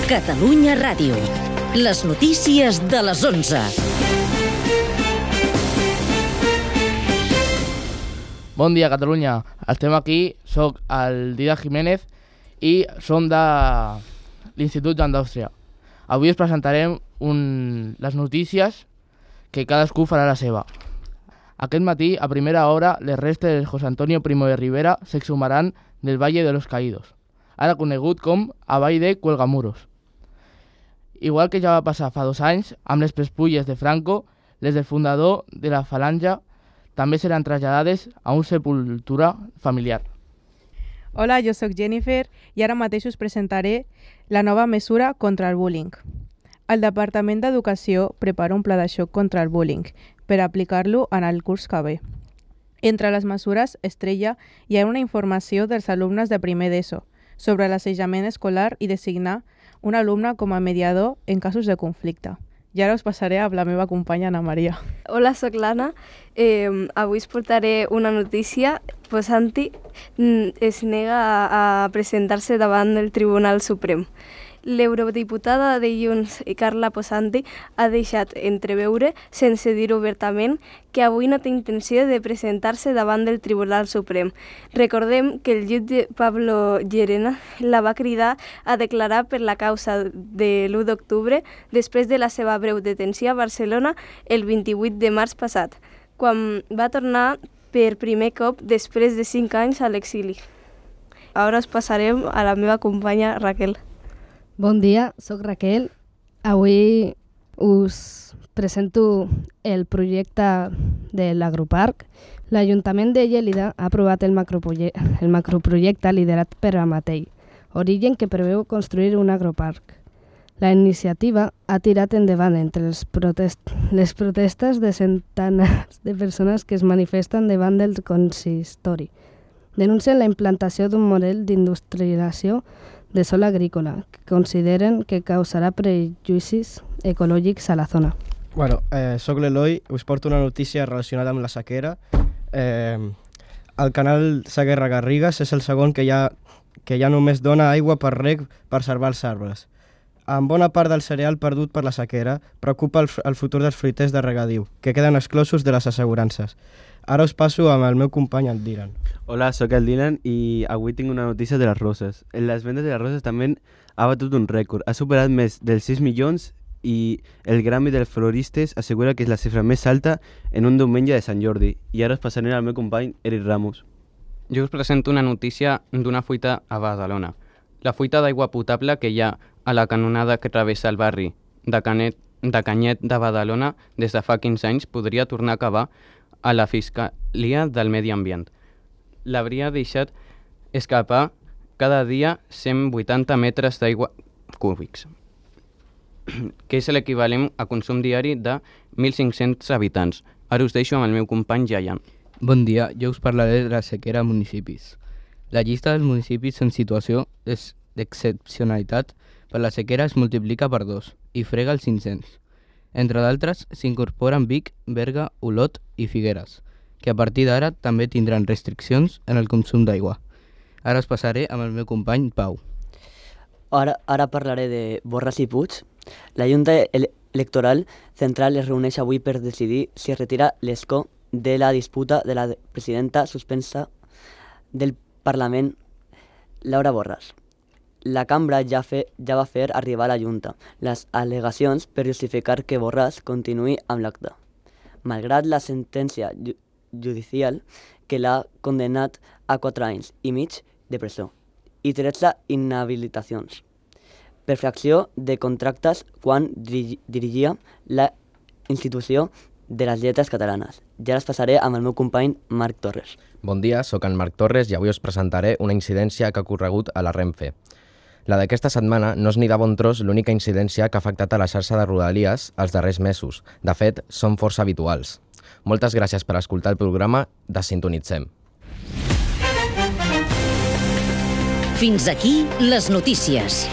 Catalunya Ràdio. Les notícies de les 11. Bon dia, Catalunya. Estem aquí, soc el Dídac Jiménez i som de l'Institut d'Indústria. Avui us presentarem les notícies que cadascú farà la seva. Aquest matí, a primera hora, les restes de José Antonio Primo de Rivera s'exhumaran del Valle de los Caídos, ara conegut com a Vall de Cuelgamuros. Igual que ja va passar fa 2 anys, amb les despulles de Franco, les del fundador de la Falange també seran traslladades a una sepultura familiar. Hola, jo sóc Jennifer i ara mateix us presentaré la nova mesura contra el bullying. El Departament d'Educació prepara un pla de xoc contra el bullying per aplicar-lo en el curs que ve. Entre les mesures estrella hi ha una informació dels alumnes de primer d'ESO sobre l'assetjament escolar i designar un alumne com a mediador en casos de conflicte. I ara us passaré amb la meva companya Ana Maria. Hola, sóc l'Anna. Avui us portaré una notícia. Posanti es nega a presentar-se davant del Tribunal Suprem. L'eurodiputada de Junts, Carla Posanti, ha deixat entreveure, sense dir obertament, que avui no té intenció de presentar-se davant del Tribunal Suprem. Recordem que el jutge Pablo Llerena la va cridar a declarar per la causa de l'1 d'octubre després de la seva breu detenció a Barcelona el 28 de març passat, quan va tornar per primer cop després de 5 anys a l'exili. Ara us passarem a la meva companya Raquel. Bon dia, sóc Raquel. Avui us presento el projecte de l'Agroparc. L'Ajuntament de Lleida ha aprovat el macroprojecte liderat per Amatei, Origen, que preveu construir un agroparc. La iniciativa ha tirat endavant entre les protestes de centenars de persones que es manifesten davant del consistori. Denuncien la implantació d'un model d'industrialització de sòl agrícola, que consideren que causarà prejudicis ecològics a la zona. Soc l'Eloi, us porto una notícia relacionada amb la sequera. El canal Segarra-Garrigues és el segon que ja només dona aigua per reg per salvar els arbres. En bona part del cereal perdut per la sequera preocupa el futur dels fruiters de regadiu, que queden exclosos de les assegurances. Ara us passo amb el meu company, el Dylan. Hola, sóc el Dylan i avui tinc una notícia de les roses. Les vendes de les roses també ha batut un rècord. Ha superat més dels 6 milions i el Gremi dels Floristes assegura que és la xifra més alta en un diumenge de Sant Jordi. I ara us passaré al meu company, Eric Ramos. Jo us presento una notícia d'una fuita a Badalona. La fuita d'aigua potable que hi ha a la canonada que travessa el barri de Canyet de Badalona des de fa 15 anys podria tornar a acabar a la Fiscalia del Medi Ambient. L'hauria deixat escapar cada dia 180 metres d'aigua cúbics, que és l'equivalent a consum diari de 1.500 habitants. Ara us deixo amb el meu company Jayan. Bon dia, jo us parlaré de la sequera a municipis. La llista dels municipis en situació d'excepcionalitat per la sequera es multiplica per 2 i frega els 500. Entre d'altres, s'incorporen Vic, Berga, Olot i Figueres, que a partir d'ara també tindran restriccions en el consum d'aigua. Ara us passaré amb el meu company Pau. Ara parlaré de Borràs i Puig. La Junta Electoral Central es reuneix avui per decidir si retira l'escó de la disputa de la presidenta suspensa del Parlament, Laura Borràs. La cambra ja va fer arribar a la Junta les al·legacions per justificar que Borràs continuï amb l'acte, malgrat la sentència judicial que l'ha condemnat a 4 anys i mig de presó i 13 inhabilitacions per fracció de contractes quan dirigia la institució de les lletres catalanes. Ja les passaré amb el meu company Marc Torres. Bon dia, sóc en Marc Torres i avui us presentaré una incidència que ha ocorregut a la Renfe. La d'aquesta setmana no és ni de bon tros l'única incidència que ha afectat a la xarxa de Rodalies els darrers mesos. De fet, són força habituals. Moltes gràcies per escoltar el programa de Sintonitzem. Fins aquí les notícies.